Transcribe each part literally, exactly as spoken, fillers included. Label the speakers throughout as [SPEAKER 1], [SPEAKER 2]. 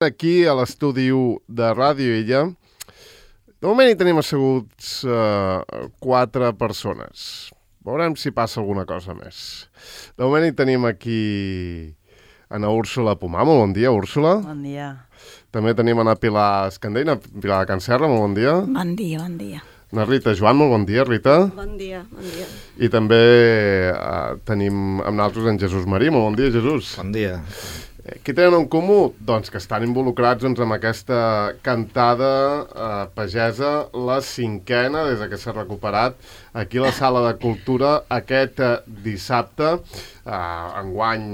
[SPEAKER 1] Aquí a l'estudi u de Ràdio Illa. De moment hi tenim asseguts uh, quatre persones. Veurem si passa alguna cosa més. De moment hi tenim aquí Ana Úrsula Pomar. Molt bon dia, Úrsula.
[SPEAKER 2] Bon dia.
[SPEAKER 1] També tenim Ana Pilar Escandell, Ana Pilar de Can Serra. Molt bon dia.
[SPEAKER 3] Bon dia, bon dia.
[SPEAKER 1] Na Rita Joan, molt bon dia, Rita.
[SPEAKER 4] Bon dia, bon dia.
[SPEAKER 1] I també uh, tenim amb nosaltres en Jesús Marí. Molt bon dia, Jesús.
[SPEAKER 5] Bon dia.
[SPEAKER 1] Què tenen en comú? Doncs que estan involucrats doncs, amb aquesta cantada eh, pagesa, la cinquena, des que s'ha recuperat aquí a la Sala de Cultura aquest eh, dissabte. Eh, enguany,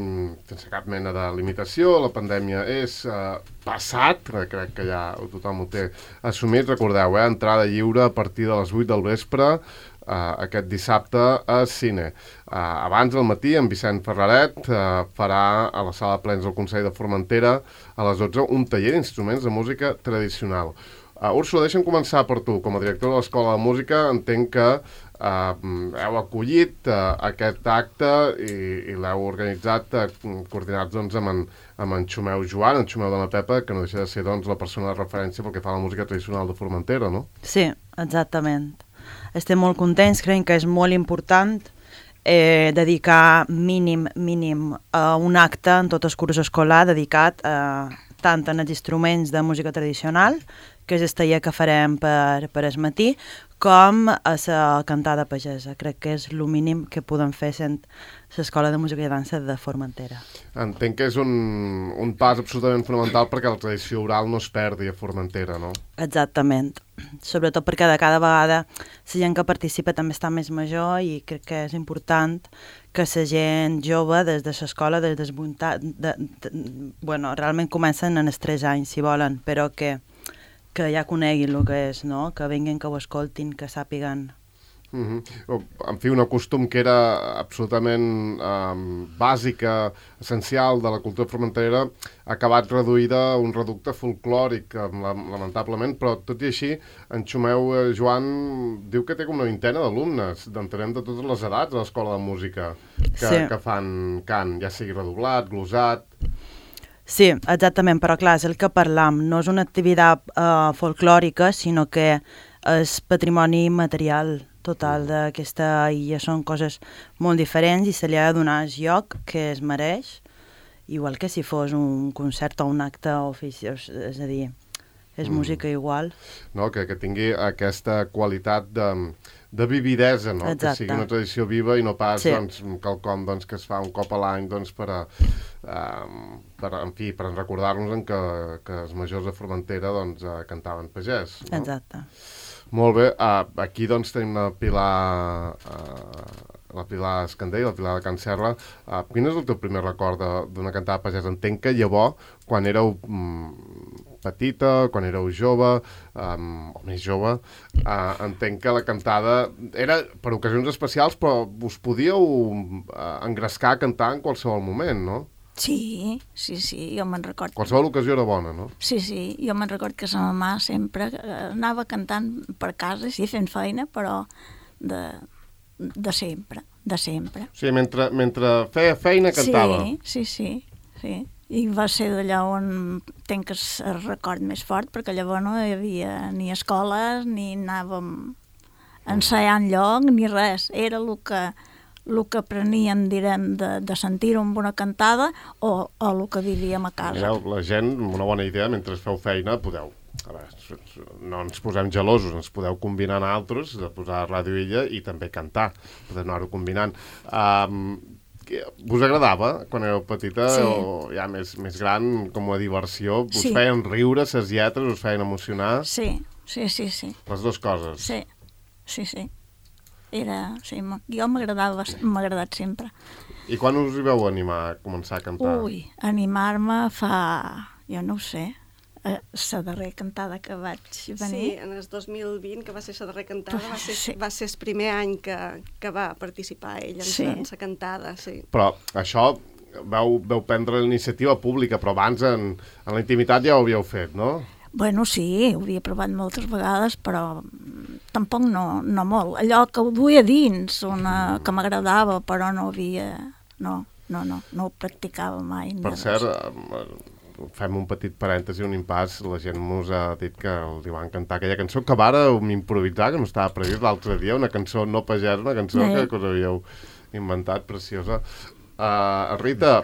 [SPEAKER 1] sense cap mena de limitació, la pandèmia és eh, passat, crec que ja tothom ho té assumit. Recordeu, eh, entrada lliure a partir de les vuit del vespre, Uh, aquest dissabte a Cine. Uh, abans al matí, en Vicent Ferraret uh, farà a la sala de plens del Consell de Formentera a les dotze un taller d'instruments de música tradicional. Uh, Úrsula, deixa'm començar per tu. Com a director de l'Escola de Música, entenc que uh, heu acollit uh, aquest acte i, i l'heu organitzat uh, coordinats doncs, amb, en, amb en Xumeu Joan, en Xumeu de la Pepa, que no deixa de ser doncs, la persona de referència pel que fa a la música tradicional de Formentera, no?
[SPEAKER 2] Sí, exactament. Estem molt contents, creiem que és molt important eh, dedicar mínim, mínim a un acte en tot el curs escolar dedicat a, tant als instruments de música tradicional, que és el taller que farem per, per el matí, com a la cantada pagesa. Crec que és el mínim que podem fer sent l'Escola de Música i Dansa de Formentera.
[SPEAKER 1] Entenc que és un, un pas absolutament fonamental perquè la tradició oral no es perdi a Formentera, no?
[SPEAKER 2] Exactament. Sobretot perquè de cada vegada la gent que participa també està més major i crec que és important que la gent jove des de l'escola, des dels voluntat, de, de, bueno, realment comencen en els tres anys, si volen, però que, que ja coneguin el que és, no? Que vinguin, que ho escoltin, que sàpiguen.
[SPEAKER 1] Uh-huh. En fi, un costum que era absolutament um, bàsica, essencial de la cultura formenterera, ha acabat reduïda a un reducte folclòric, lamentablement, però tot i així, en Xumeu eh, Joan diu que té com una vintena d'alumnes, d'entenem de totes les edats a l'Escola de Música, que,
[SPEAKER 2] sí.
[SPEAKER 1] que fan cant, ja sigui redoblat, glosat...
[SPEAKER 2] Sí, exactament, però clar, és el que parlam, no és una activitat uh, folclòrica, sinó que és patrimoni material total d'aquesta illa, són coses molt diferents i se li ha de donar el lloc que es mereix, igual que si fos un concert o un acte oficiós, és a dir, és mm. música igual.
[SPEAKER 1] No, que, que tingui aquesta qualitat de, de vividesa, no?
[SPEAKER 2] Exacte.
[SPEAKER 1] Que sigui una tradició viva i no pas
[SPEAKER 2] sí.
[SPEAKER 1] doncs, quelcom doncs, que es fa un cop a l'any doncs, per, a, um, per, en fi, per recordar-nos que, que els majors de Formentera doncs, uh, cantaven pagès. No?
[SPEAKER 2] Exacte.
[SPEAKER 1] Molt bé, uh, aquí doncs tenim la Pilar, uh, la Pilar Escandell, la Pilar de Can Serra. Uh, quin és el teu primer record d'una cantada pagesa? Entenc que llavors, quan éreu um, petita, quan éreu jove, um, o més jove, uh, entenc que la cantada era per ocasions especials, però us podíeu uh, engrescar a cantar en qualsevol moment, no?
[SPEAKER 3] Sí, sí, sí, jo me'n record.
[SPEAKER 1] Qualsevol ocasió era bona, no?
[SPEAKER 3] Sí, sí, jo me'n record que sa mamà sempre anava cantant per casa, sí, fent feina, però de, de sempre, de sempre.
[SPEAKER 1] O sigui, mentre, mentre feia feina cantava.
[SPEAKER 3] Sí, sí, sí, sí. I va ser d'allà on tenc el record més fort, perquè llavors no hi havia ni escoles, ni anàvem ensaiant lloc, ni res. Era el que... el que apreníem, direm, de, de sentir-ho amb una cantada o, o el que vivíem a casa.
[SPEAKER 1] Mireu, la gent, una bona idea, mentre feu feina, podeu, a veure, no ens posem gelosos, ens podeu combinar en altres, de posar Ràdio Illa i també cantar, podeu anar-ho combinant. Um, us agradava, quan éreu petita,
[SPEAKER 3] sí.
[SPEAKER 1] o ja més, més gran, com a diversió? Us
[SPEAKER 3] sí.
[SPEAKER 1] feien riure, ses lletres, us feien emocionar?
[SPEAKER 3] Sí, sí, sí, sí.
[SPEAKER 1] Les dues coses?
[SPEAKER 3] Sí, sí, sí. Era, sí, jo m'agradava, m'ha agradat sempre.
[SPEAKER 1] I quan us hi vau animar a començar a cantar?
[SPEAKER 3] Ui, animar-me fa, jo no ho sé, la darrera cantada que vaig venir.
[SPEAKER 4] Sí, en el dos mil vint, que va ser la darrera cantada, va ser,
[SPEAKER 3] sí.
[SPEAKER 4] va ser el primer any que, que va participar ell en
[SPEAKER 3] sí.
[SPEAKER 4] la cantada, sí.
[SPEAKER 1] Però això vau, vau prendre l'iniciativa pública, però abans en, en la intimitat ja ho havíeu fet, no?
[SPEAKER 3] Bueno, sí, ho havia provat moltes vegades, però tampoc no, no molt. Allò que ho duia dins, una, que m'agradava, però no havia... No, no, no, no ho practicava mai.
[SPEAKER 1] Per cert, fem un petit parèntesi, un impàs, la gent mos ha dit que li va encantar aquella cançó, que vàreu improvisar, que no estava previst l'altre dia, una cançó no pagès, una cançó
[SPEAKER 3] Sí.
[SPEAKER 1] que, que us havíeu inventat, preciosa. Uh, Rita,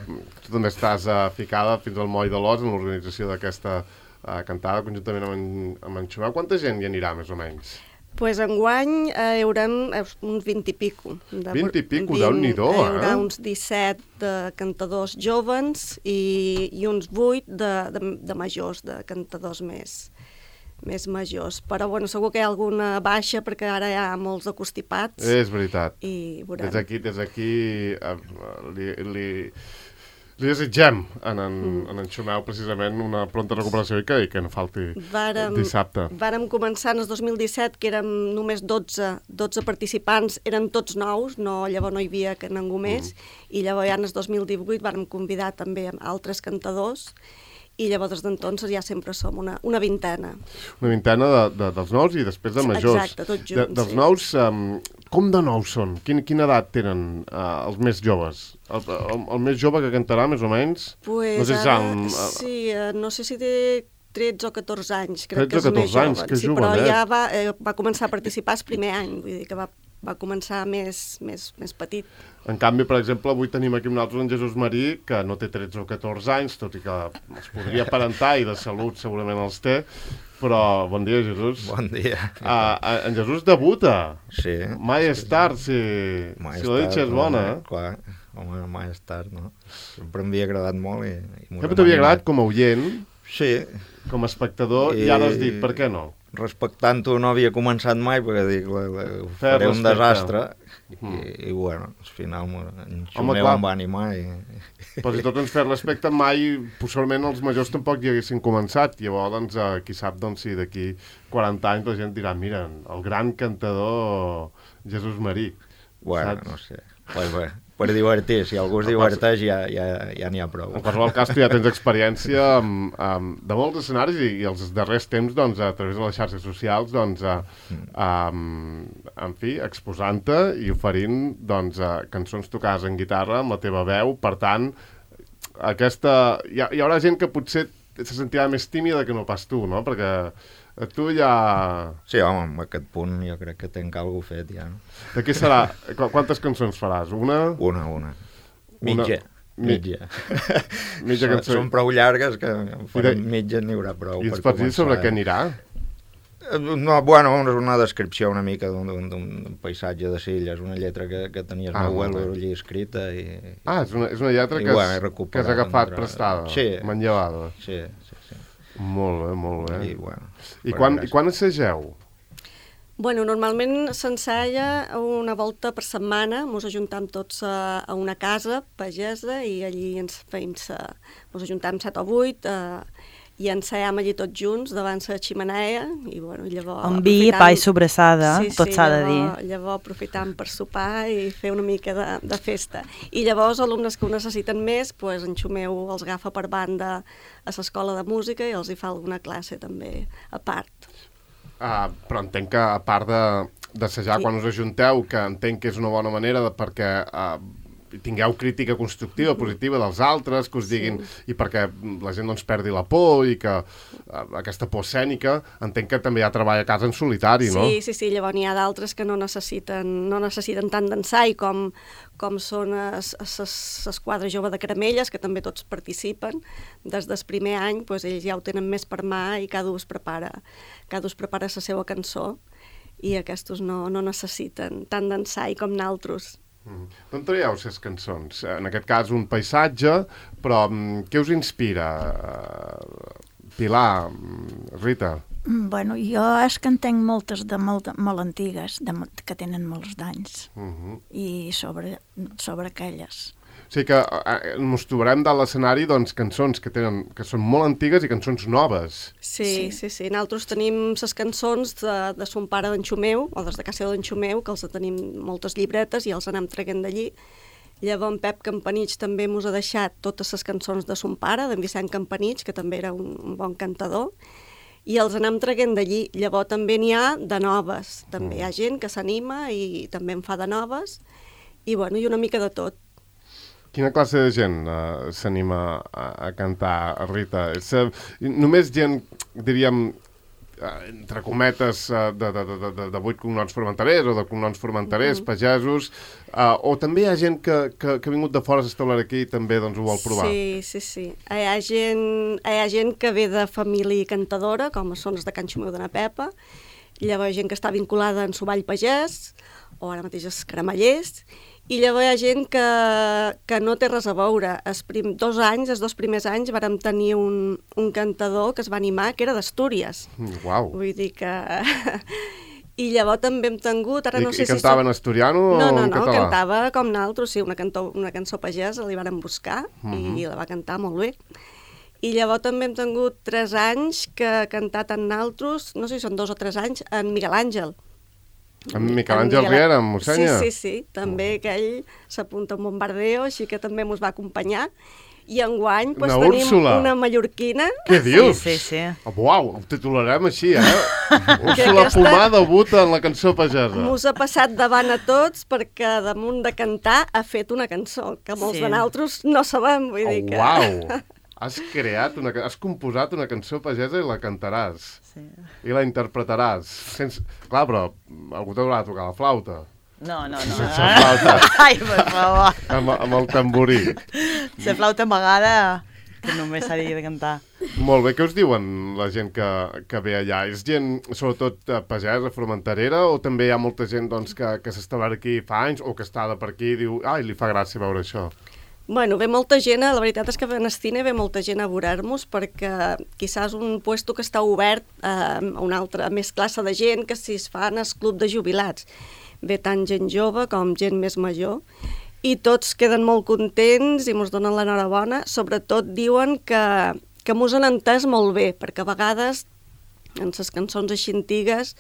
[SPEAKER 1] tu també estàs uh, ficada fins al moll de l'os en l'organització d'aquesta uh, cantada conjuntament amb en, amb en Xumeu. Quanta gent hi anirà, més o menys?
[SPEAKER 4] Pues enguany eh, hi haurà uns vint i pico. De,
[SPEAKER 1] vint i pico, Déu-n'hi-do, eh?
[SPEAKER 4] Hi haurà uns disset de cantadors jovens i, i uns vuit de, de, de majors, de cantadors més, més majors. Però bueno, segur que hi ha alguna baixa perquè ara hi ha molts de constipats.
[SPEAKER 1] És veritat.
[SPEAKER 4] I veurem.
[SPEAKER 1] Des d'aquí, des d'aquí uh, li, li, li desitgem en en, mm. en en Xumeu precisament una pronta recuperació i que, i que no falti
[SPEAKER 4] vàrem,
[SPEAKER 1] dissabte.
[SPEAKER 4] Vàrem començar en el dos mil disset, que érem només dotze, dotze participants, eren tots nous, no, llavors no hi havia que ningú més, mm. i llavors ja en el dos mil divuit vàrem convidar també altres cantadors, i llavors des d'entonces ja sempre som una, una vintena.
[SPEAKER 1] Una vintena de, de, dels nous i després de majors.
[SPEAKER 4] Exacte, tots junts,
[SPEAKER 1] de, dels
[SPEAKER 4] sí.
[SPEAKER 1] nous, um, com de nous són? Quin, quina edat tenen uh, els més joves? El, el, el més jove que cantarà, més o menys?
[SPEAKER 4] Pues
[SPEAKER 1] no sé si
[SPEAKER 4] ara,
[SPEAKER 1] han, uh,
[SPEAKER 4] sí, uh, no sé si té tretze o catorze anys, crec
[SPEAKER 1] tretze
[SPEAKER 4] que és més
[SPEAKER 1] anys,
[SPEAKER 4] jove.
[SPEAKER 1] que
[SPEAKER 4] sí,
[SPEAKER 1] jovenet.
[SPEAKER 4] però ja va, eh, va començar a participar el primer any, vull dir que va, va començar més, més, més petit.
[SPEAKER 1] En canvi, per exemple, avui tenim aquí un altre, en Jesús Marí, que no té tretze o catorze anys, tot i que els podria aparentar i de salut segurament els té, però bon dia, Jesús.
[SPEAKER 5] Bon dia.
[SPEAKER 1] Uh, en Jesús debuta.
[SPEAKER 5] Sí.
[SPEAKER 1] Mai és tard, si,
[SPEAKER 5] Mai
[SPEAKER 1] si la ditxa és bona.
[SPEAKER 5] Eh? Clar, home, mai és tard, no? Sempre m'havia agradat molt i... i
[SPEAKER 1] Sempre t'havia agradat com a oient,
[SPEAKER 5] sí.
[SPEAKER 1] com a espectador, i, i ara has dit, per què no?
[SPEAKER 5] Respectant-ho no havia començat mai, perquè dic, la, la, ho
[SPEAKER 1] Fer
[SPEAKER 5] faré un
[SPEAKER 1] respecte.
[SPEAKER 5] desastre,
[SPEAKER 1] Mm.
[SPEAKER 5] i, i bueno, al final en
[SPEAKER 1] Home,
[SPEAKER 5] Xumeu
[SPEAKER 1] clar.
[SPEAKER 5] em va animar i...
[SPEAKER 1] Però si tot ens fer respecte, mai, possiblement els majors tampoc hi haguessin començat. Llavors, doncs, eh, qui sap, doncs, si d'aquí quaranta anys la gent dirà, mira, el gran cantador Jesús Marí.
[SPEAKER 5] Bueno,
[SPEAKER 1] saps?
[SPEAKER 5] no sé. Pues bé, per divertir, si algú es diverteix ja ja ja n'hi ha prou.
[SPEAKER 1] En qualsevol cas, tu ja tens experiència amb, amb, de molts escenaris i, i els darrers temps, doncs, a través de les xarxes socials, doncs, a, a, en fi, exposant-te i oferint, doncs, a, cançons tocades en guitarra amb la teva veu. Per tant, aquesta... Hi, ha, hi haurà gent que potser se sentirà més tímida que no pas tu, no? Perquè tu ja...
[SPEAKER 5] Sí, home, en aquest punt jo crec que tenc alguna fet ja. No?
[SPEAKER 1] De què serà? Qu Quantes cançons faràs? Una?
[SPEAKER 5] Una, una. Mitja.
[SPEAKER 1] Una...
[SPEAKER 5] Mitja.
[SPEAKER 1] Mitja
[SPEAKER 5] són,
[SPEAKER 1] cançó.
[SPEAKER 5] són prou llargues que farem
[SPEAKER 1] de...
[SPEAKER 5] mitja n'hi haurà prou.
[SPEAKER 1] I ens
[SPEAKER 5] per
[SPEAKER 1] pots dir sobre
[SPEAKER 5] començar.
[SPEAKER 1] què anirà?
[SPEAKER 5] No, bueno, és una descripció una mica d'un paisatge de Silla, és una lletra que, que tenia el
[SPEAKER 1] Ah,
[SPEAKER 5] meu
[SPEAKER 1] molt
[SPEAKER 5] abuelo
[SPEAKER 1] bé.
[SPEAKER 5] allí escrita i...
[SPEAKER 1] Ah, és una, és una lletra
[SPEAKER 5] I
[SPEAKER 1] que,
[SPEAKER 5] bueno, he
[SPEAKER 1] has, que
[SPEAKER 5] recuperat
[SPEAKER 1] has agafat
[SPEAKER 5] entre-
[SPEAKER 1] prestada,
[SPEAKER 5] Sí.
[SPEAKER 1] manllevada.
[SPEAKER 5] Sí, sí, sí.
[SPEAKER 1] Molt bé, molt bé.
[SPEAKER 5] I, bueno,
[SPEAKER 1] I
[SPEAKER 5] per
[SPEAKER 1] quan,
[SPEAKER 5] gràcia.
[SPEAKER 1] i quan assageu?
[SPEAKER 4] Bueno, normalment s'ensalla una volta per setmana, ens ajuntam tots a, a una casa pagesa i allí ens feim sa, ens ajuntam set o vuit eh, i ensaiam allí tots junts davant la ximenea i bueno, llavors...
[SPEAKER 2] Amb vi, pa i sobrassada,
[SPEAKER 4] sí,
[SPEAKER 2] tot
[SPEAKER 4] sí,
[SPEAKER 2] s'ha de
[SPEAKER 4] llavors,
[SPEAKER 2] dir.
[SPEAKER 4] Llavors aprofitam per sopar i fer una mica de, de festa. I llavors alumnes que ho necessiten més, pues, en Xumeu els agafa per banda a l'escola de música i els hi fa alguna classe també a part.
[SPEAKER 1] Uh, però entenc que a part de- d'assajar
[SPEAKER 4] Sí.
[SPEAKER 1] quan us ajunteu, que entenc que és una bona manera de, perquè uh, tingueu crítica constructiva, positiva dels altres, que us diguin,
[SPEAKER 4] Sí.
[SPEAKER 1] i perquè la gent doncs perdi la por i que uh, aquesta por escènica, entenc que també hi ha treball a casa en solitari, no?
[SPEAKER 4] Sí, sí, sí, llavors n'hi ha d'altres que no necessiten, no necessiten tant d'ensai com, com són les quadres jove de Caramelles, que també tots participen. Des del primer any doncs, ells ja ho tenen més per mà i cada un es prepara, cada un es prepara la seva cançó i aquests no, no necessiten tant d'ensai com naltros.
[SPEAKER 1] Mm. D'on traieu les cançons? En aquest cas un paisatge, però mm, què us inspira? Uh, Pilar, mm, Rita?
[SPEAKER 3] Mm, Bueno, jo és que en tenc moltes de molt, molt antigues, de, mo- que tenen molts d'anys,
[SPEAKER 1] Uh -huh.
[SPEAKER 3] i sobre, sobre aquelles.
[SPEAKER 1] O sigui que eh, ens trobarem de l'escenari doncs, cançons que, tenen, que són molt antigues i cançons noves.
[SPEAKER 4] Sí,
[SPEAKER 3] Sí.
[SPEAKER 4] sí, sí. Nosaltres tenim les cançons de, de son pare d'en Xumeu, o des de casa d'en Xumeu, que els tenim moltes llibretes i els anem traient d'allí. Llavors en Pep Campanich també ens ha deixat totes les cançons de son pare, d'en Vicent Campanich, que també era un, un bon cantador, i els anem traient d'allí. Llavors també n'hi ha de noves. També hi ha gent que s'anima i també en fa de noves, i bueno, i una mica de tot.
[SPEAKER 1] Quina classe de gent uh, s'anima a, a cantar, Rita? És, uh, només gent, diríem, uh, entre cometes, uh, de, de, de, de, de vuit cognoms formenterers o de cognoms formenterers, mm -hmm. pagesos, uh, o també hi ha gent que, que, que ha vingut de fora a establir aquí i també doncs, ho vol provar?
[SPEAKER 4] Sí, sí, sí. Hi ha gent, hi ha gent que ve de família cantadora, com són els de Can Xumeu de na Pepa, llavors hi ha gent que està vinculada en Sovall Pagès, o ara mateix els Caramellers, i llavors hi ha gent que, que no té res a veure. Els prim, dos anys, els dos primers anys, vàrem tenir un, un cantador que es va animar, que era d'Astúries.
[SPEAKER 1] Mm, uau!
[SPEAKER 4] Vull dir que... I llavors també hem tingut... Ara
[SPEAKER 1] I,
[SPEAKER 4] no sé
[SPEAKER 1] i
[SPEAKER 4] si
[SPEAKER 1] cantava
[SPEAKER 4] som...
[SPEAKER 1] en asturiano
[SPEAKER 4] no,
[SPEAKER 1] o
[SPEAKER 4] no,
[SPEAKER 1] en
[SPEAKER 4] no,
[SPEAKER 1] català?
[SPEAKER 4] No, cantava com naltros, sí, una, cantó, una cançó pagesa, li vàrem buscar mm -hmm. i la va cantar molt bé. I llavors també hem tingut tres anys que ha cantat en naltros, no sé si són dos o tres anys, en Miguel Àngel.
[SPEAKER 1] En Miquel Àngel Riera, en Mossenya?
[SPEAKER 4] Sí, sí, sí, també que ell s'apunta a un bombardeo, així que també mos va acompanyar. I enguany pues,
[SPEAKER 1] una
[SPEAKER 4] tenim
[SPEAKER 1] Úrsula.
[SPEAKER 4] Una mallorquina.
[SPEAKER 1] Què dius?
[SPEAKER 2] Sí, sí, sí.
[SPEAKER 1] Oh, uau, ho titularem així, eh? Úrsula Pomar debuta en la cançó pagesa.
[SPEAKER 4] Mos ha passat davant a tots perquè damunt de cantar ha fet una cançó, que molts
[SPEAKER 2] Sí.
[SPEAKER 4] de nosaltres no sabem, vull dir
[SPEAKER 1] Oh,
[SPEAKER 4] que...
[SPEAKER 1] uau! Has creat, una, has composat una cançó pagesa i la cantaràs.
[SPEAKER 2] Sí.
[SPEAKER 1] I la interpretaràs. Sense... Clar, però algú t'haurà de tocar la flauta.
[SPEAKER 2] No, no, no.
[SPEAKER 1] Sense flauta.
[SPEAKER 2] Ai, per favor.
[SPEAKER 1] Amb, amb el tamborí.
[SPEAKER 2] La flauta amagada, que només s'ha de cantar.
[SPEAKER 1] Molt bé, què us diuen la gent que, que ve allà? És gent, sobretot, pagesa, formenterera, o també hi ha molta gent doncs, que, que s'estableix aquí fa anys o que està de per aquí i diu, ai, li fa gràcia veure això?
[SPEAKER 4] Bueno, ve molta gent, la veritat és que a Nestine ve molta gent a veure-nos perquè quizás un puesto que està obert a una altra, a més classe de gent que si es fan el club de jubilats. Ve tant gent jove com gent més major i tots queden molt contents i ens donen l'enhorabona. Sobretot diuen que, que mos han entès molt bé, perquè a vegades en les cançons així antigues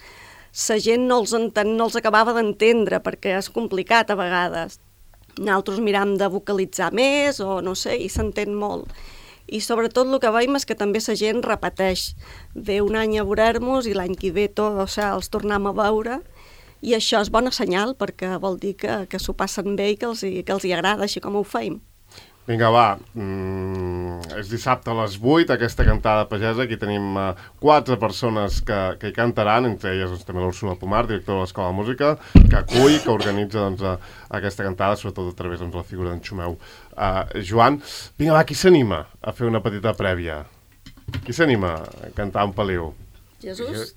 [SPEAKER 4] la gent no els, enten, no els acabava d'entendre perquè és complicat a vegades. Nosaltres miram de vocalitzar més o no sé, i s'entén molt. I sobretot el que veiem és que també la gent repeteix. Ve un any a veure-nos i l'any que ve tot, o sigui, els tornem a veure i això és bona senyal perquè vol dir que, que s'ho passen bé i que els, que els hi agrada, així com ho feim.
[SPEAKER 1] Vinga, va, mm, és dissabte a les vuit, aquesta cantada pagesa. Aquí tenim uh, quatre persones que, que hi cantaran, entre elles doncs, també l'Úrsula Pomar, directora de l'Escola de Música, que acull, que organitza doncs, uh, aquesta cantada, sobretot a través de doncs, la figura d'en Xumeu. Uh, Joan, vinga, va, qui s'anima a fer una petita prèvia? Qui s'anima a cantar un paliu?
[SPEAKER 4] Jesús?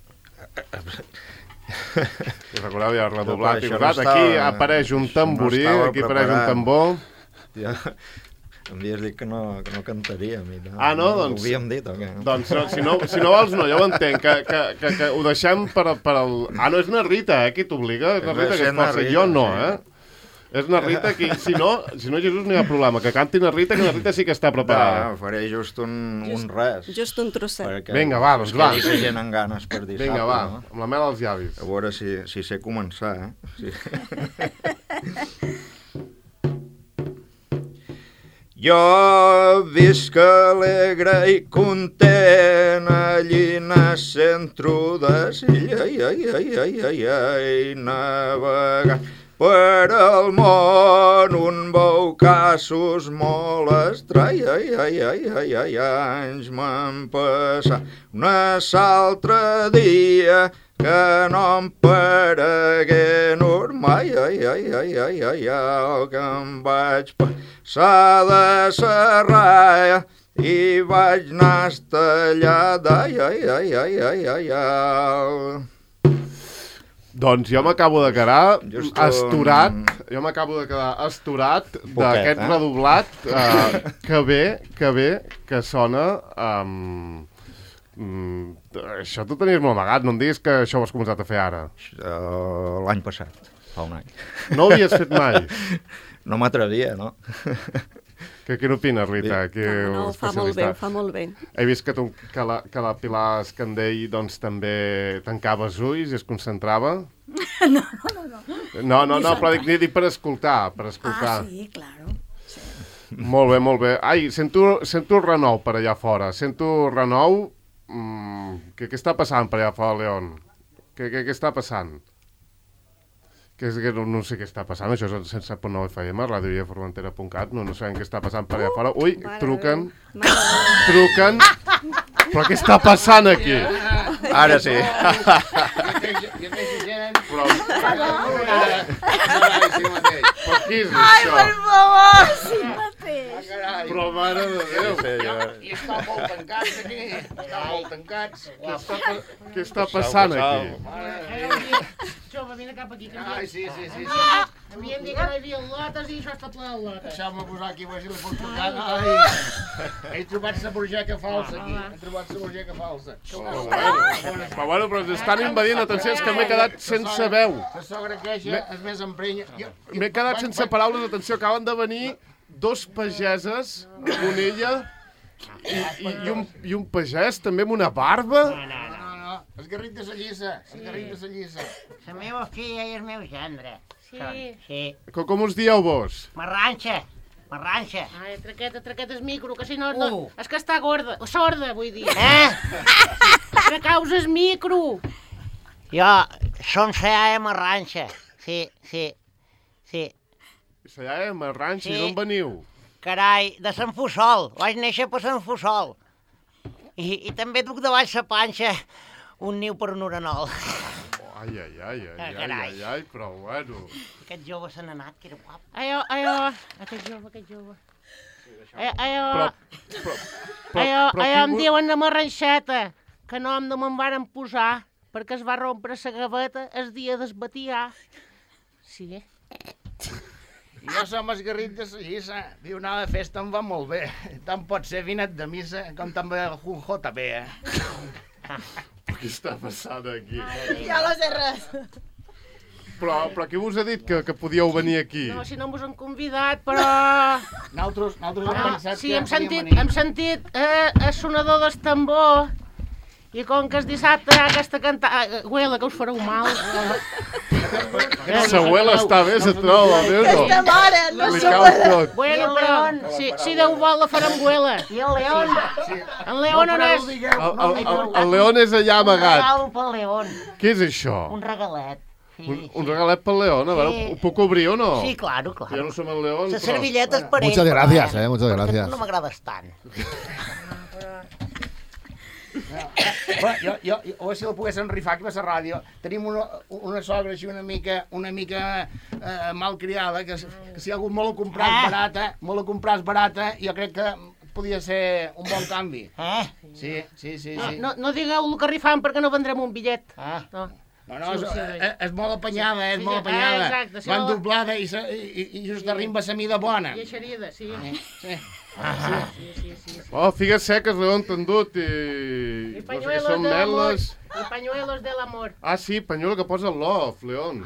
[SPEAKER 1] I recordeu, ja redoblat i
[SPEAKER 5] no
[SPEAKER 1] posat.
[SPEAKER 5] estava,
[SPEAKER 1] Aquí apareix un tamborí,
[SPEAKER 5] no
[SPEAKER 1] aquí apareix un
[SPEAKER 5] preparat.
[SPEAKER 1] tambor.
[SPEAKER 5] Ja, em havies dit que no, que no cantaria. Mira.
[SPEAKER 1] Ah, no? Doncs...
[SPEAKER 5] Ho havíem dit, o què?
[SPEAKER 1] Doncs no, si, no, si no vols, no, ja ho entenc, que, que, que, que ho deixem per, per el... Ah, no, és na Rita, eh, qui t'obliga, és na Rita que et força, jo no, eh? És na Rita qui, si no, si no, Jesús, no hi ha problema, que canti na Rita, que na Rita sí que està preparada.
[SPEAKER 5] Va, faré just un,
[SPEAKER 4] Just-
[SPEAKER 5] un res.
[SPEAKER 4] Just un trosset.
[SPEAKER 5] perquè
[SPEAKER 1] Vinga, va, doncs
[SPEAKER 5] es
[SPEAKER 1] va.
[SPEAKER 5] quedi la gent amb ganes per dissabte.
[SPEAKER 1] Vinga, va,
[SPEAKER 5] No?
[SPEAKER 1] amb la mel als llavis.
[SPEAKER 5] A veure si, si sé començar, eh? Sí. Jo visc alegre i content allí en el centre de Silla, ai, ai, ai, ai, ai, ai, navegant per al món un veu casos molt estrai, ai, ai, ai, ai, ai, anys m'han passat un altre dia que no em paregué normal, ai, ai, ai, ai, ai, ai, que em vaig passar de serraia i vaig anar estallada, ai, ai, ai, ai, ai, ai, ai.
[SPEAKER 1] Doncs jo m'acabo de quedar
[SPEAKER 5] Just un-
[SPEAKER 1] asturat, jo m'acabo de quedar asturat d'aquest
[SPEAKER 5] eh?
[SPEAKER 1] redoblat uh, que ve, que ve, que sona... Um, um, això t'ho tenies molt amagat, no em diguis que això ho has començat a fer ara.
[SPEAKER 5] Uh, L'any passat, fa un any.
[SPEAKER 1] No ho havies fet mai.
[SPEAKER 5] No m'atrevia, no?
[SPEAKER 1] Que, què n'opines, Rita? Aquí,
[SPEAKER 4] No, no, ho fa molt bé, ho fa molt bé.
[SPEAKER 1] He vist que, tu, que, la, que la Pilar Escandell doncs, també tancava els ulls i es concentrava.
[SPEAKER 3] No, no, no. no.
[SPEAKER 1] No, no, no, però dic, dic per escoltar, per escoltar.
[SPEAKER 3] Ah, sí, claro.
[SPEAKER 1] Molt bé, molt bé. Ai, sento, sento el renou per allà fora. Sento el renou. Mm, què, què està passant per allà fora, León? Què, què, què està passant? Que és que no, no sé què està passant, això és cent set punt nou F M, ràdio i formentera punt cat, no, no sabem què està passant per allà fora. Ui, truquen, truquen, però què està passant aquí?
[SPEAKER 5] Ara sí.
[SPEAKER 1] Però, però qui és
[SPEAKER 3] Ai,
[SPEAKER 1] això?
[SPEAKER 3] per favor, sí mateix.
[SPEAKER 1] Però mare de Déu,
[SPEAKER 6] I estan molt tancats aquí, estan molt tancats.
[SPEAKER 1] què està passant aquí?
[SPEAKER 7] Jove, vine cap aquí.
[SPEAKER 6] Ai, sí, sí, sí.
[SPEAKER 7] Havíem dit que no hi havia lotes i això està ple de lotes.
[SPEAKER 6] Deixeu-me posar aquí, a veure si li puc tocar. Ai, he trobat la borgeca falsa aquí, he trobat la borgeca falsa.
[SPEAKER 1] Però bueno, però ens estan invadint, atenció, és que m'he quedat sense veu.
[SPEAKER 6] La sogra queixa és més emprenya.
[SPEAKER 1] M'he quedat sense paraules, atenció, acaben de venir dos pageses, una ella i, i, i, un, i un pagès també amb una barba.
[SPEAKER 6] No, no, no, el garrit de la lliça, el garrit de la lliça.
[SPEAKER 7] La meva filla i el meu gendre. Sí. Sí.
[SPEAKER 1] Com, com us dieu vos?
[SPEAKER 7] Marranxa. Marranxa. Ai, traqueta, traqueta és micro, que si no, no...
[SPEAKER 6] Uh.
[SPEAKER 7] És que està gorda, o sorda, vull dir. Eh? Que causes micro. Jo, som la Marranxa. Sí, sí, sí.
[SPEAKER 1] Ja, eh, Marranxa,
[SPEAKER 7] Sí.
[SPEAKER 1] d'on veniu?
[SPEAKER 7] Carai, de Sant Fussol. Vaig néixer per Sant Fussol. I, i també duc de baix la panxa un niu per un orenol.
[SPEAKER 1] Ai, ai, ai, ai, ai,
[SPEAKER 7] Carai.
[SPEAKER 1] ai, ai, però bueno.
[SPEAKER 7] Aquest jove se n'ha anat, que era guap. Aiò, aiò, aquest jove, aquest jove. Aiò, aiò,
[SPEAKER 1] Però, però, però,
[SPEAKER 7] aiò,
[SPEAKER 1] però
[SPEAKER 7] aiò, em
[SPEAKER 1] qui-
[SPEAKER 7] diuen la marranxeta, que nom no me'n varen posar, perquè es va rompre la gaveta el dia d'esbatiar. Sí.
[SPEAKER 6] Jo som el garrit de la lliça. Diu, anar de festa em va molt bé. Tant pot ser vinet de missa com també el junjo també, eh?
[SPEAKER 1] Què està passant aquí?
[SPEAKER 3] Ja no sé res.
[SPEAKER 1] Però, però qui us ha dit que, que podíeu venir aquí?
[SPEAKER 7] No, si no mos han convidat, però...
[SPEAKER 6] Nosaltres, nosaltres hem
[SPEAKER 7] Ah,
[SPEAKER 6] pensat
[SPEAKER 7] sí,
[SPEAKER 6] que
[SPEAKER 7] hem sentit,
[SPEAKER 6] podíem venir.
[SPEAKER 7] hem sentit eh, el sonador del tambor, i com que és dissabte hi ha aquesta cantada... Güela, que us fareu mal.
[SPEAKER 1] La abuela està bé, se troba, veus?
[SPEAKER 3] Aquesta mare, no
[SPEAKER 1] Li
[SPEAKER 3] s'ho
[SPEAKER 1] cau
[SPEAKER 3] pot...
[SPEAKER 1] tot.
[SPEAKER 7] Bueno, però si, si Déu vol la farem güela. I el León? En León on és?
[SPEAKER 1] El, el, el, el León és allà amagat.
[SPEAKER 7] Regal pel León,
[SPEAKER 1] Què és això?
[SPEAKER 7] un regalet. Sí,
[SPEAKER 1] Un, un regalet pel León, a veure,
[SPEAKER 7] Sí.
[SPEAKER 1] ho puc obrir o no?
[SPEAKER 7] Sí, claro,
[SPEAKER 1] Ja
[SPEAKER 7] claro.
[SPEAKER 1] no som el León,
[SPEAKER 7] Les
[SPEAKER 1] però...
[SPEAKER 7] servilletes per ell.
[SPEAKER 8] Muchas
[SPEAKER 7] però,
[SPEAKER 8] gracias, eh, muchas
[SPEAKER 7] perquè
[SPEAKER 8] gracias.
[SPEAKER 7] tu no m'agrades tant.
[SPEAKER 6] Bueno, jo, jo, jo, a veure si la poguéssim rifar aquí a la ràdio. Tenim una, una sogra així una mica, una mica eh, malcriada, que, que si algú me la compràs
[SPEAKER 7] Ah.
[SPEAKER 6] barata, me la compràs barata, jo crec que podia ser un bon canvi.
[SPEAKER 7] Eh?
[SPEAKER 6] Sí, sí, sí,
[SPEAKER 7] No,
[SPEAKER 6] sí.
[SPEAKER 7] no, no digueu el que rifam perquè no vendrem un bitllet.
[SPEAKER 6] Ah.
[SPEAKER 7] No.
[SPEAKER 6] No, no, és,
[SPEAKER 7] Sí, sí, sí.
[SPEAKER 6] és, és molt apanyada, és
[SPEAKER 7] Sí,
[SPEAKER 6] molt
[SPEAKER 7] sí,
[SPEAKER 6] apanyada.
[SPEAKER 7] ah, exacte, sí,
[SPEAKER 6] Van
[SPEAKER 7] la-
[SPEAKER 6] doblada i, se, i, i, i just arriba la mida bona.
[SPEAKER 7] I eixerida, sí.
[SPEAKER 6] Sí.
[SPEAKER 7] Sí, sí, sí, sí.
[SPEAKER 1] Oh, figues seques, León, t'han dut i...
[SPEAKER 7] I
[SPEAKER 1] No sé què
[SPEAKER 7] pañuelos
[SPEAKER 1] són
[SPEAKER 7] del amor.
[SPEAKER 1] meles.
[SPEAKER 7] I pañuelos del amor.
[SPEAKER 1] Ah, sí, pañuelo que posa el love, León.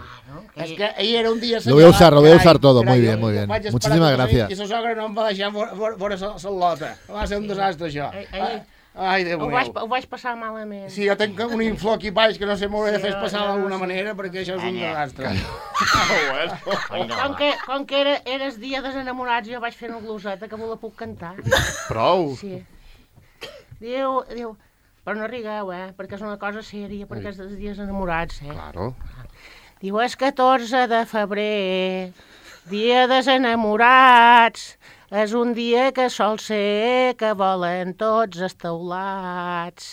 [SPEAKER 6] És que ahir era un dia...
[SPEAKER 8] Lo voy a usar, lo voy a
[SPEAKER 6] carai,
[SPEAKER 8] usar todo,
[SPEAKER 6] carai,
[SPEAKER 8] muy bien,
[SPEAKER 6] jo-
[SPEAKER 8] muy
[SPEAKER 6] jo
[SPEAKER 8] bien.
[SPEAKER 6] vaig esperar
[SPEAKER 8] Muchísimas
[SPEAKER 6] tot això
[SPEAKER 8] gracias.
[SPEAKER 6] I la sogra no em va deixar veure la lota. Va ser un desastre, això.
[SPEAKER 7] Ai, ai.
[SPEAKER 6] Ai, Déu
[SPEAKER 7] Ho vaig,
[SPEAKER 6] meu.
[SPEAKER 7] ho vaig passar malament.
[SPEAKER 6] Sí, jo tinc un inflor aquí baix que no sé, m'ho he de
[SPEAKER 7] Sí,
[SPEAKER 6] fer
[SPEAKER 7] jo-
[SPEAKER 6] passar
[SPEAKER 7] jo
[SPEAKER 6] d'alguna
[SPEAKER 7] sí.
[SPEAKER 6] manera perquè això és un desastre.
[SPEAKER 7] Com que, com que era, eres dia dels enamorats, jo vaig fer una gloseta que me la puc cantar.
[SPEAKER 1] Prou.
[SPEAKER 7] Sí. Diu, diu, però no rigueu, eh, perquè és una cosa sèria, perquè és dels dies enamorats, eh.
[SPEAKER 1] Claro.
[SPEAKER 7] Diu, és catorze de febrer, dia dels enamorats, és un dia que sol ser que volen tots els teulats.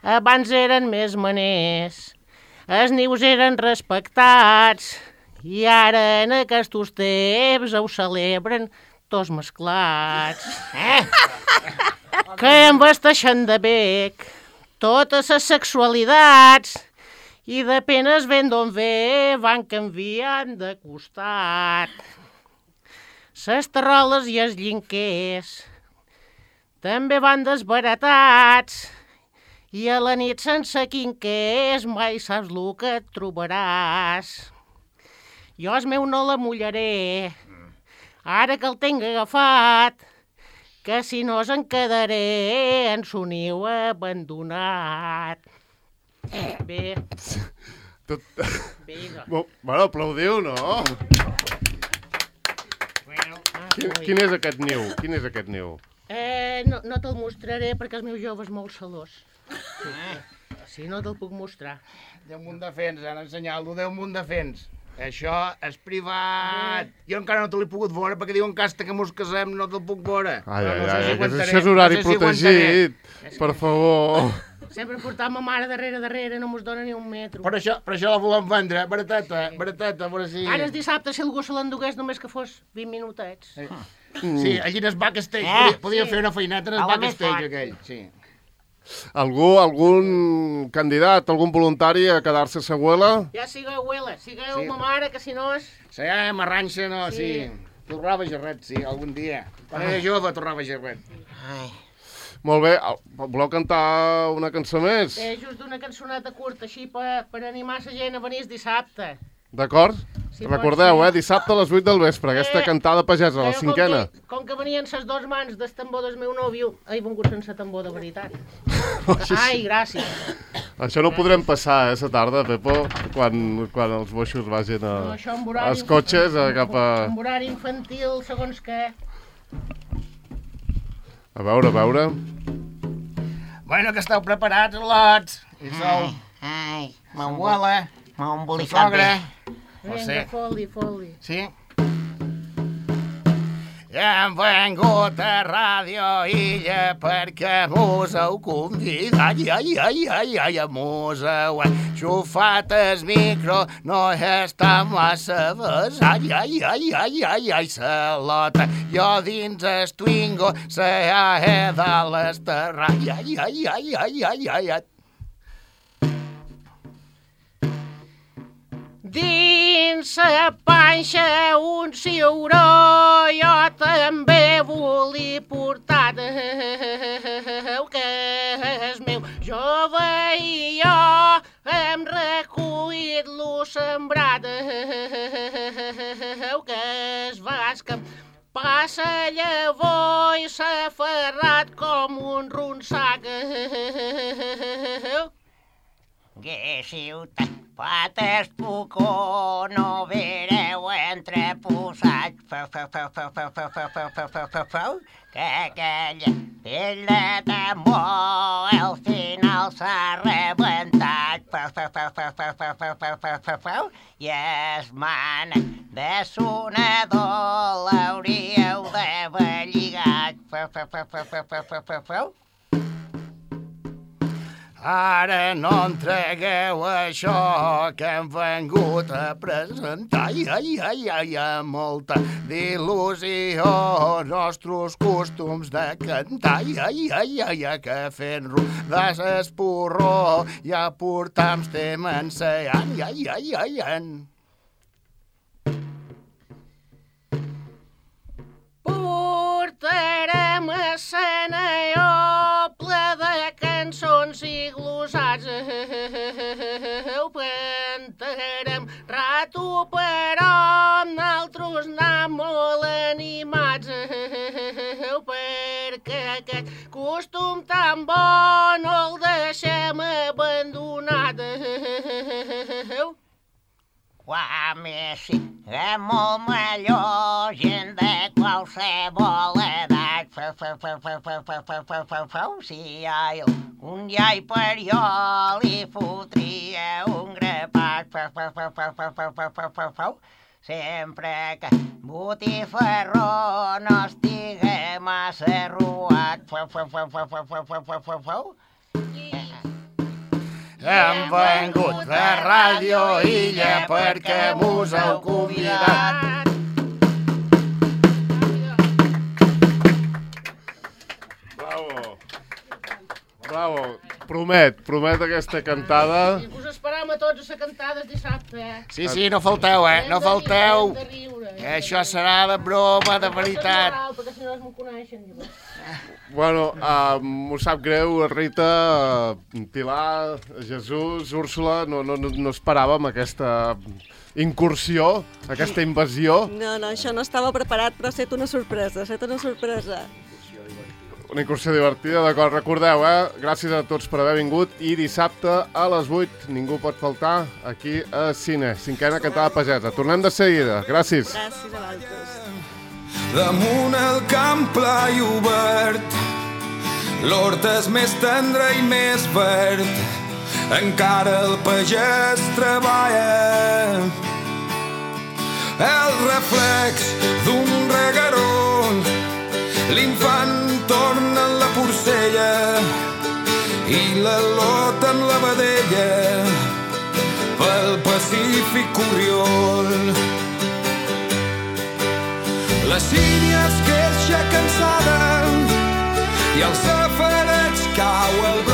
[SPEAKER 7] Abans eren més maners, els nius eren respectats, i ara en aquests temps ho celebren tots mesclats. Eh? Que embasteixen de bec totes les sexualitats, i de penes ben d'on ve van canviant de costat. Ses terroles i els llinquers també van desbaratats, i a la nit sense quinquers mai saps el que et trobaràs. Jo el meu no la mullaré, ara que el tinc agafat, que si no se'n quedaré en son niu abandonat. Bé,
[SPEAKER 1] Tot...
[SPEAKER 7] bé, doncs.
[SPEAKER 1] Bo- Bueno, aplaudiu, no? Quin, quin és aquest niu? Quin és aquest niu?
[SPEAKER 7] Eh, no, no te'l mostraré perquè el meu jove és molt celós. Sí, no te'l puc mostrar.
[SPEAKER 6] Déu munt de fens, han ensenyat-lo, Déu munt de fens. Això és privat. Jo encara no te l'he pogut veure perquè diuen que hasta que mos casem no te'l puc veure.
[SPEAKER 1] Ai, ai,
[SPEAKER 6] no sé
[SPEAKER 1] ai,
[SPEAKER 6] si
[SPEAKER 1] que
[SPEAKER 6] aguantaré,
[SPEAKER 1] això és horari
[SPEAKER 6] no sé si
[SPEAKER 1] protegit.
[SPEAKER 6] aguantaré.
[SPEAKER 1] Per favor.
[SPEAKER 7] Sempre portant ma mare darrere, darrere, no mos dona ni un metro.
[SPEAKER 6] Per això, per això la volem vendre, barateta, barateta, a veure si...
[SPEAKER 7] Ara és dissabte, si algú se l'endugués només que fos vint minutets.
[SPEAKER 6] Sí, sí allí en el backstage,
[SPEAKER 7] Eh,
[SPEAKER 6] podia, podia
[SPEAKER 7] sí.
[SPEAKER 6] fer una feineta en el
[SPEAKER 7] A la més
[SPEAKER 6] backstage
[SPEAKER 7] fort.
[SPEAKER 6] aquell, sí.
[SPEAKER 1] Algú, algun candidat, algun voluntari a quedar-se a Seguela?
[SPEAKER 7] Ja sigueu abuela, sigueu
[SPEAKER 6] Sí.
[SPEAKER 7] ma mare, que si no és...
[SPEAKER 6] Sí, eh, marranxa, no, sí.
[SPEAKER 7] Sí.
[SPEAKER 6] Torrava gerret, sí, algun dia. Quan era jove torrava gerret.
[SPEAKER 7] Ai.
[SPEAKER 1] Molt bé, voleu cantar una cançó més?
[SPEAKER 7] És just una cançoneta curta, així per, per animar la gent a venir el dissabte.
[SPEAKER 1] D'acord?
[SPEAKER 7] Sí,
[SPEAKER 1] Recordeu,
[SPEAKER 7] pot
[SPEAKER 1] eh,
[SPEAKER 7] ser.
[SPEAKER 1] dissabte a les vuit del vespre, aquesta
[SPEAKER 7] Eh,
[SPEAKER 1] cantada pagesa, la
[SPEAKER 7] Però
[SPEAKER 1] cinquena.
[SPEAKER 7] Com que, com que venien les dues mans del tambor del meu nòvio, he vingut sense tambor de veritat. Ai, gràcies.
[SPEAKER 1] Això no ho podrem passar, eh, la tarda, Pepo, quan, quan els boixos vagin a,
[SPEAKER 7] No, això amb horari-
[SPEAKER 1] als cotxes, a, cap a...
[SPEAKER 7] Amb horari infantil, segons què.
[SPEAKER 1] A veure, a veure...
[SPEAKER 6] Bueno, que esteu preparats, lots. I sou
[SPEAKER 7] Ai,
[SPEAKER 6] la abuela,
[SPEAKER 7] m'ha
[SPEAKER 6] la
[SPEAKER 7] embolicat
[SPEAKER 6] sogra...
[SPEAKER 7] Vinga,
[SPEAKER 6] José.
[SPEAKER 7] foli, foli.
[SPEAKER 6] Sí? Hem vengut a Ràdio Illa perquè mos heu convidat. Ai, ai, ai, ai, ai, mos heu enxufat el micro, no està massa bes. Ai, ai, ai, ai, ai, ai, salota. Jo dins el Twingo, se ha de l'esterrar. Ai, ai, ai, ai, ai, ai, ai, ai.
[SPEAKER 7] Dins la panxa un ciuró, jo també volia portar que és meu jove i jo hem recollit lo sembrat que és vas que passa llavor i s'ha ferrat com un ronsac. Que ciutat pates pucó no vereu entreposats feu, feu, feu, feu, feu, feu, feu, feu, feu, feu, feu, feu, que aquella pell de tambor al final s'ha rebentat feu, feu, feu, feu, feu, feu, feu, feu, feu, feu, feu, i es mana de sonador l'hauríeu d'haver lligat feu, feu, feu, feu, feu, feu, feu, feu, feu.
[SPEAKER 6] Ara no entregueu això que hem vengut a presentar. Ai, ai, ai, ai, amb molta d'il·lusió, nostres costums de cantar. Ai, ai, ai, ai, ai, que fent rodar esporró ja portam temps ensaiant. Ai, ai, ai, ai.
[SPEAKER 7] Portarem escena ple de cançons i glossats. Cantarem rato, però nosaltres anem molt animats. Perquè aquest costum tan bo no el deixem abandonat. Qua més és molt millor, gent de qualsevol edat. Feu, feu, feu, feu, feu, feu, feu, feu, feu, feu. Si hi ha un iai per jo, li fotria un grapat. Feu, feu, feu, feu, feu, feu, feu, feu, feu, feu. Sempre que botifarró no estiga massa ruat. Feu, feu, feu, feu, feu, feu, feu, feu, feu, feu.
[SPEAKER 6] Hem vengut a Ràdio Illa perquè mos heu convidat.
[SPEAKER 1] Bravo. Bravo. Promet, promet aquesta cantada.
[SPEAKER 7] I us esperam a tots a la cantada dissabte, eh?
[SPEAKER 6] Sí, sí, no falteu, eh? No falteu.
[SPEAKER 7] Hem de riure.
[SPEAKER 6] Això serà de broma, de veritat.
[SPEAKER 7] Perquè si no es m'ho coneixen.
[SPEAKER 1] Bueno, uh, m'ho sap greu, Rita, uh, Pilar, Jesús, Úrsula, no, no, no no esperàvem aquesta incursió, aquesta invasió.
[SPEAKER 4] No, no, això no estava preparat, però ha estat una sorpresa, ha estat una sorpresa.
[SPEAKER 1] Una incursió divertida, d'acord. Recordeu, eh? Gràcies a tots per haver vingut i dissabte a les vuit ningú pot faltar aquí a Cine, cinquena cantada pagesa. Tornem de seguida. Gràcies.
[SPEAKER 4] Gràcies a vosaltres.
[SPEAKER 8] Damunt el camp pla i obert, l'hort és més tendre i més verd, encara el pagès treballa el reflex d'un regueró. L'infant torna en la porcella i la lot en la vedella pel Pacífic Oriol. La sínia es queixa cansada i el safareig cau al